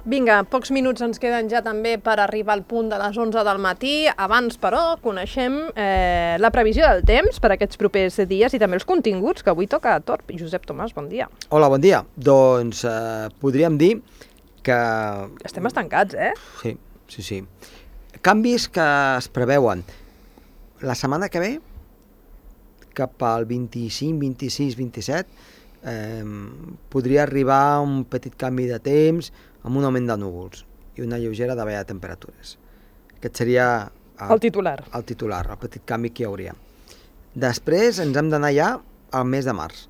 Vinga, pocs minuts ens queden ja també per arribar al punt de les 11 del matí. Abans, però, coneixem la previsió del temps per aquests propers dies i també els continguts, que avui toca a Torp. Josep Tomàs, bon dia. Hola, bon dia. Doncs podríem dir que... Estem estancats, Sí. Canvis que es preveuen. La setmana que ve, cap al 25, 26, 27, podria arribar un petit canvi de temps amb un augment de núvols i una lleugera davalla de temperatures. Aquest seria el titular. El petit canvi que hi hauria. Després ens hem d'anar ja al mes de març.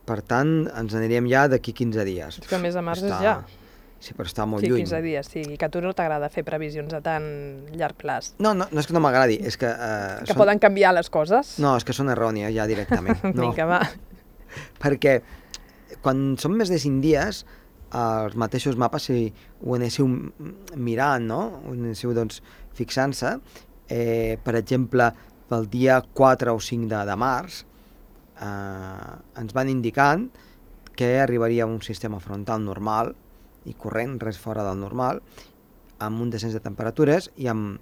Per tant, ens aniríem ja d'aquí 15 dies. És que el mes de març és ja. Sí, però està molt lluny. 15 dies, sí. Que a tu no t'agrada fer previsions a tan llarg plaç. No és que no m'agradi, és que... poden canviar les coses? No, és que són errònies ja directament. Vinga, va. Perquè quan són més de 5 dies, els mateixos mapes, si ho anéssiu mirant, no? Ho anéssiu fixant-se, per exemple, pel dia 4 o 5 de març, ens van indicant que arribaria un sistema frontal normal i corrent, res fora del normal, amb un descens de temperatures i amb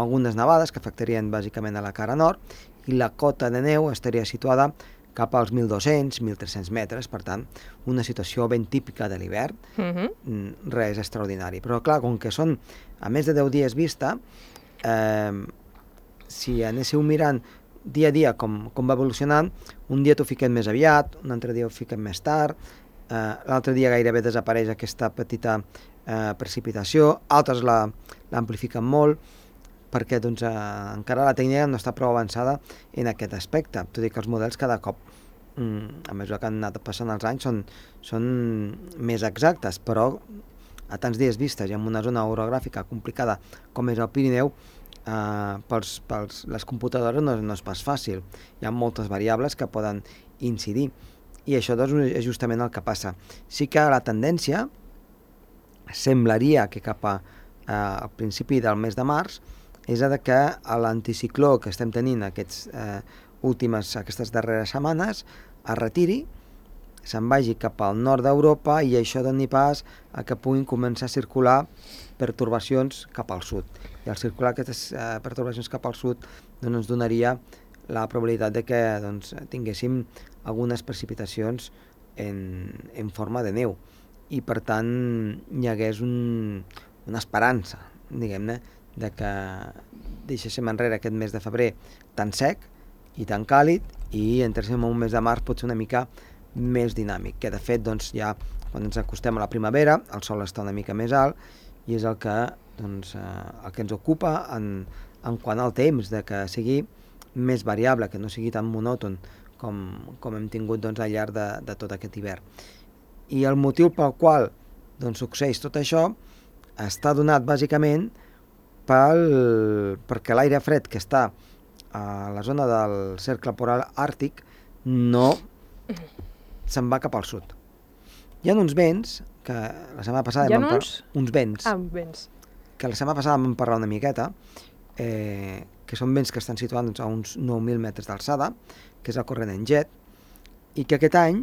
algunes nevades que afectarien bàsicament a la cara nord, i la cota de neu estaria situada cap als 1.200, 1.300 metres, per tant, una situació ben típica de l'hivern, res extraordinari. Però clar, com que són a més de 10 dies vista, si anéssiu mirant dia a dia com va evolucionant, un dia t'ho fiquem més aviat, un altre dia ho fiquem més tard, l'altre dia gairebé desapareix aquesta petita precipitació, altres l'amplifiquen molt, perquè encara la tècnica no està prou avançada en aquest aspecte. Tot i que els models cada cop, a mesura que han anat passant els anys, són més exactes, però a tants dies vistes i en una zona orogràfica complicada com és el Pirineu, les computadores no és pas fàcil. Hi ha moltes variables que poden incidir i això és justament el que passa. Sí que la tendència semblaria que cap al principi del mes de març és que l'anticicló que estem tenint aquestes darreres setmanes es retiri, se'n vagi cap al nord d'Europa i això doni pas a que puguin començar a circular pertorbacions cap al sud. I al circular aquestes pertorbacions cap al sud ens donaria la probabilitat de que tinguéssim algunes precipitacions en forma de neu i per tant hi hagués una esperança, diguem-ne, de que deixéssim enrere aquest mes de febrer tan sec i tan càlid i entréssim en un mes de març potser una mica més dinàmic, que de fet ja quan ens acostem a la primavera el sol està una mica més alt i és el que ens ocupa en quant al temps, de que sigui més variable, que no sigui tan monòton com hem tingut al llarg de tot aquest hivern. I el motiu pel qual succeeix tot això està donat bàsicament perquè l'aire fred que està a la zona del cercle polar àrtic no se'n va cap al sud. Hi ha uns vents que la setmana passada uns vents que la setmana passada vam parlar una miqueta, que són vents que estan situats a uns 9.000 metres d'alçada, que és el corrent en jet, i que aquest any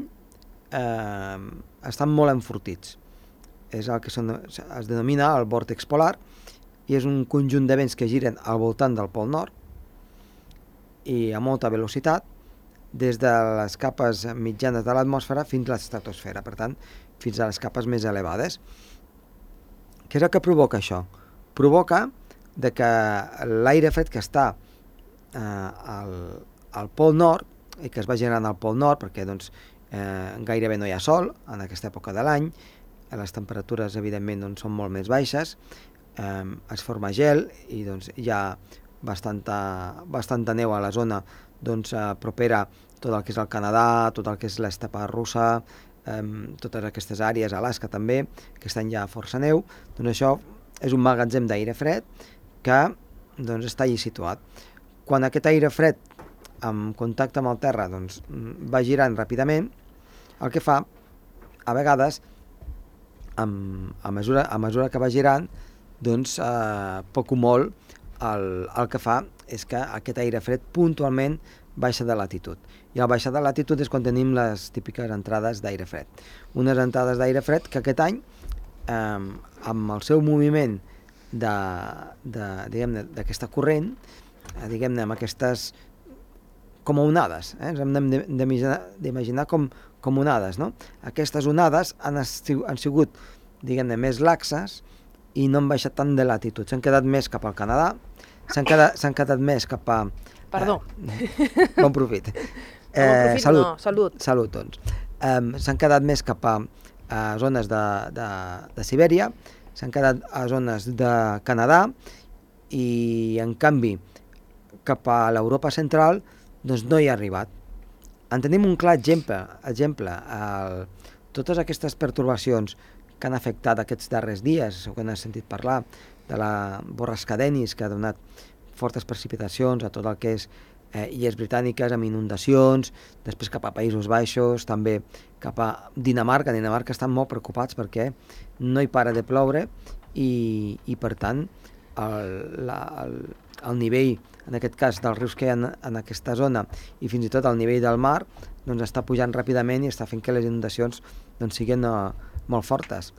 estan molt enfortits. És el que es denomina el vòrtex polar, i és un conjunt de vents que giren al voltant del Pol Nord i a molta velocitat des de les capes mitjanes de l'atmosfera fins a l'estratosfera, per tant, fins a les capes més elevades. Què és el que provoca això? Provoca que l'aire fred que està al Pol Nord i que es va generant al Pol Nord, perquè gairebé no hi ha sol en aquesta època de l'any, les temperatures evidentment són molt més baixes, es forma gel i hi ha bastanta neu a la zona propera tot el que és el Canadà, tot el que és l'estepa russa, totes aquestes àrees, Alaska també, que estan ja força neu. Això és un magatzem d'aire fred que està allí situat. Quan aquest aire fred en contacte amb el terra va girant ràpidament, el que fa a vegades a mesura que va girant poc o molt el que fa és que aquest aire fred puntualment baixa de latitud. I al baixar de latitud és quan tenim les típiques entrades d'aire fred. Unes entrades d'aire fred que aquest any amb el seu moviment d'aquesta corrent, diguem-ne, amb aquestes com a onades, ens hem d'imaginar com onades, no? Aquestes onades han sigut, diguem-ne, més laxes i no han baixat tant de latitud, s'han quedat més cap al Canadà, s'han quedat més cap a... Perdó. Bon profit. Salut. Salut, doncs. S'han quedat més cap a zones de Sibèria, s'han quedat a zones de Canadà i, en canvi, cap a l'Europa central, doncs no hi ha arribat. En tenim un clar exemple. Totes aquestes pertorbacions que han afectat aquests darrers dies, segur que n'has sentit parlar, de la borrasca Dennis, que ha donat fortes precipitacions a tot el que és illes britàniques, amb inundacions, després cap a Països Baixos, també cap a Dinamarca. Dinamarca estan molt preocupats perquè no hi para de ploure i per tant, el nivell, en aquest cas, dels rius que hi ha en aquesta zona i fins i tot el nivell del mar, doncs està pujant ràpidament i està fent que les inundacions doncs, siguin molt fortes.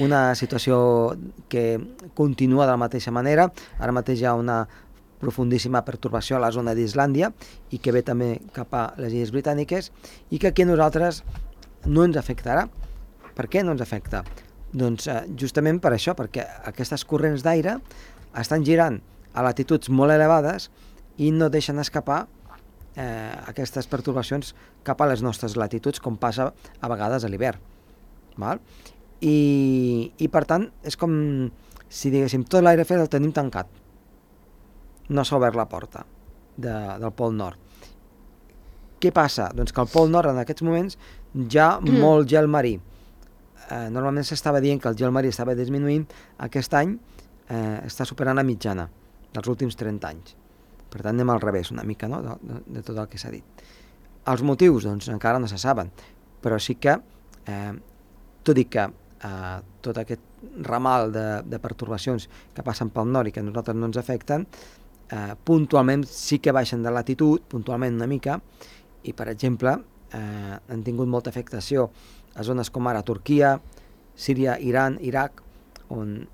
Una situació que continua de la mateixa manera. Ara mateix hi ha una profundíssima pertorbació a la zona d'Islàndia i que ve també cap a les illes britàniques i que aquí a nosaltres no ens afectarà. Per què no ens afecta? Doncs justament per això, perquè aquestes corrents d'aire estan girant a latituds molt elevades i no deixen escapar aquestes pertorbacions cap a les nostres latituds, com passa a vegades a l'hivern. I per tant és com si diguéssim tot l'aire fred el tenim tancat, no s'ha obert la porta del Pol Nord. Què passa? Doncs que al Pol Nord en aquests moments hi ha molt gel marí. Normalment s'estava dient que el gel marí estava disminuint, aquest any està superant la mitjana dels últims 30 anys. Per tant, anem al revés una mica, no? de tot el que s'ha dit. Els motius, doncs, encara no se saben, però sí que, tot i que tot aquest ramal de pertorbacions que passen pel nord i que a nosaltres no ens afecten, puntualment sí que baixen de latitud, puntualment una mica, i, per exemple, han tingut molta afectació a zones com ara Turquia, Síria, Iran, Iraq, on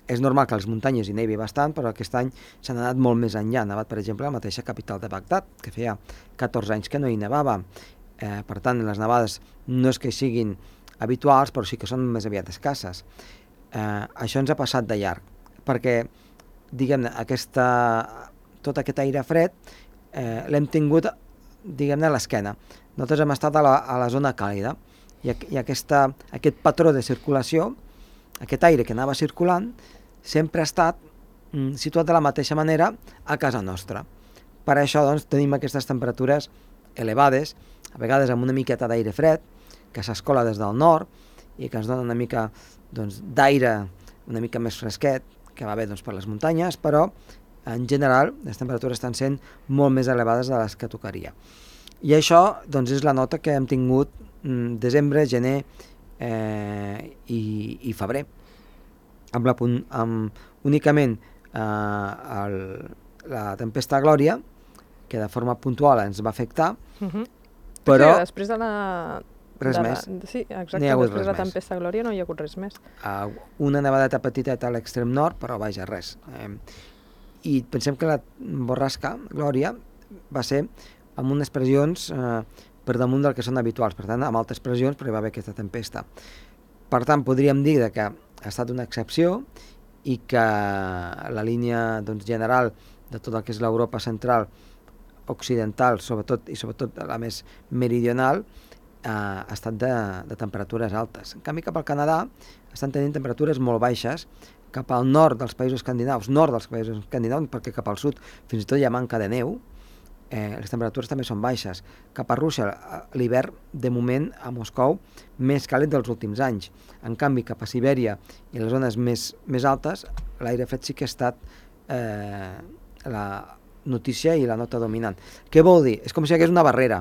és normal que a les muntanyes hi nevi bastant, però aquest any s'han anat molt més enllà. Ha nevat, per exemple, a la mateixa capital de Bagdad, que feia 14 anys que no hi nevava. Per tant, les nevades no és que siguin habituals, però sí que són més aviat escasses. Això ens ha passat de llarg, perquè, diguem-ne, tot aquest aire fred l'hem tingut, diguem-ne, a l'esquena. Nosaltres hem estat a la zona càlida i aquest patró de circulació, aquest aire que anava circulant, sempre ha estat situat de la mateixa manera a casa nostra. Per això, doncs, tenim aquestes temperatures elevades, a vegades amb una miqueta d'aire fred, que s'escola des del nord i que ens dona una mica d'aire una mica més fresquet, que va bé per les muntanyes, però en general les temperatures estan sent molt més elevades de les que tocaria. I això és la nota que hem tingut desembre, gener i febrer. Únicament la tempesta Glòria, que de forma puntual ens va afectar, però... Sí, després de la... Res més. Sí, exacte, després de la tempesta Glòria no hi ha hagut res més. Una nevadeta petiteta a l'extrem nord, però vaja, res. I pensem que la borrasca Glòria va ser amb unes pressions per damunt del que són habituals, per tant, amb altes pressions, però hi va haver aquesta tempesta. Per tant, podríem dir que ha estat una excepció i que la línia general de tot el que és l'Europa central, occidental, sobretot la més meridional, ha estat de temperatures altes. En canvi, cap al Canadà estan tenint temperatures molt baixes, cap al nord dels països escandinaus, perquè cap al sud fins i tot hi ha manca de neu, les temperatures també són baixes. Cap a Rússia, l'hivern, de moment, a Moscou, més càlid dels últims anys. En canvi, cap a Sibèria i les zones més altes, l'aire fred sí que ha estat la notícia i la nota dominant. Què vol dir? És com si hi hagués una barrera.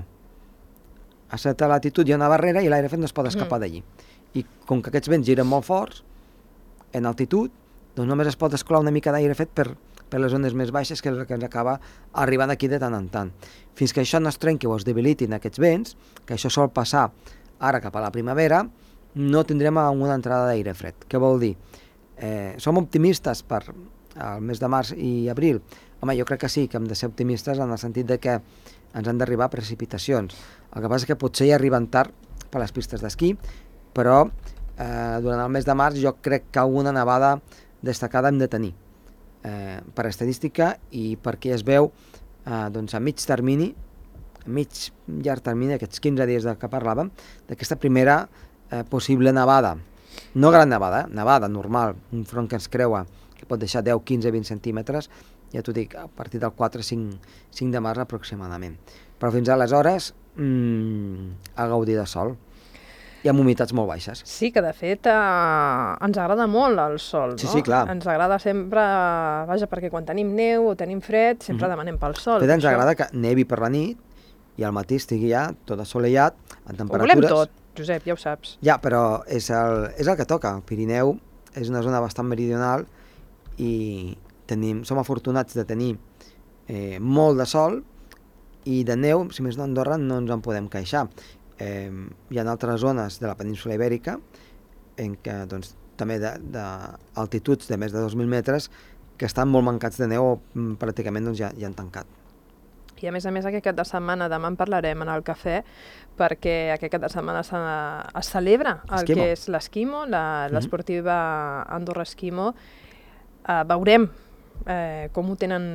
A certa latitud hi ha una barrera i l'aire fred no es pot escapar d'allí. I com que aquests vents giren molt forts, en altitud, doncs només es pot escolar una mica d'aire fred per les zones més baixes, que és el que ens acaba arribant aquí de tant en tant. Fins que això no es trenqui o es debilitin aquests vents, que això sol passar ara cap a la primavera, no tindrem una entrada d'aire fred. Què vol dir? Som optimistes per el mes de març i abril? Home, jo crec que sí, que hem de ser optimistes en el sentit de que ens han d'arribar precipitacions. El que passa és que potser hi arriben tard per les pistes d'esquí, però durant el mes de març jo crec que alguna nevada destacada hem de tenir per estadística i perquè es veu doncs a mig termini, llarg termini, aquests 15 dies de què parlàvem, d'aquesta primera possible nevada. No gran nevada, nevada normal, un front que ens creua, que pot deixar 10, 15, 20 centímetres, ja t'ho dic, a partir del 4-5 de març aproximadament. Però fins aleshores, a gaudir de sol i amb humitats molt baixes. Sí, que de fet ens agrada molt el sol, no? Sí, clar. Ens agrada sempre, vaja, perquè quan tenim neu o tenim fred, sempre demanem pel sol. De fet, ens agrada que nevi per la nit i al matí estigui ja tot assolellat, en temperatures... Ho volem tot, Josep, ja ho saps. Ja, però és el que toca. El Pirineu és una zona bastant meridional i som afortunats de tenir molt de sol i de neu, si més no a Andorra, no ens en podem queixar. Hi ha altres zones de la península Ibèrica en què doncs, també d'altituds de més de 2.000 metres que estan molt mancats de neu o pràcticament doncs, ja han tancat. I a més, aquest cap de setmana, demà en parlarem en el cafè, perquè aquest cap de setmana es celebra el que és l'esquimo, l'esportiva Andorra Esquimo. Veurem com ho tenen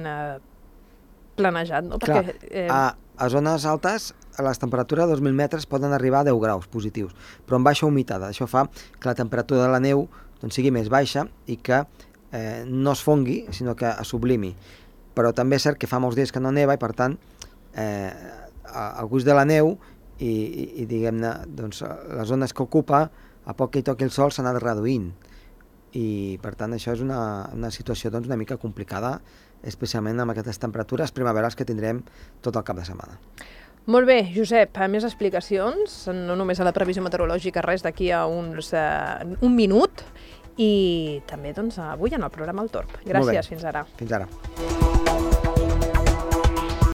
planejat, no? Perquè, a zones altes les temperatures a 2.000 metres poden arribar a 10 graus positius, però amb baixa humitat. Això fa que la temperatura de la neu doncs, sigui més baixa i que no es fongui, sinó que es sublimi. Però també és cert que fa molts dies que no neva i, per tant, el gust de la neu i diguem-ne, doncs, les zones que ocupa, a poc que hi toqui el sol, s'ha anat reduint. I, per tant, això és una situació doncs, una mica complicada, especialment amb aquestes temperatures primaverals que tindrem tot el cap de setmana. Molt bé, Josep, més explicacions, no només a la previsió meteorològica, res d'aquí a un minut, i també doncs, avui en el programa El Torb. Gràcies, fins ara. Fins ara.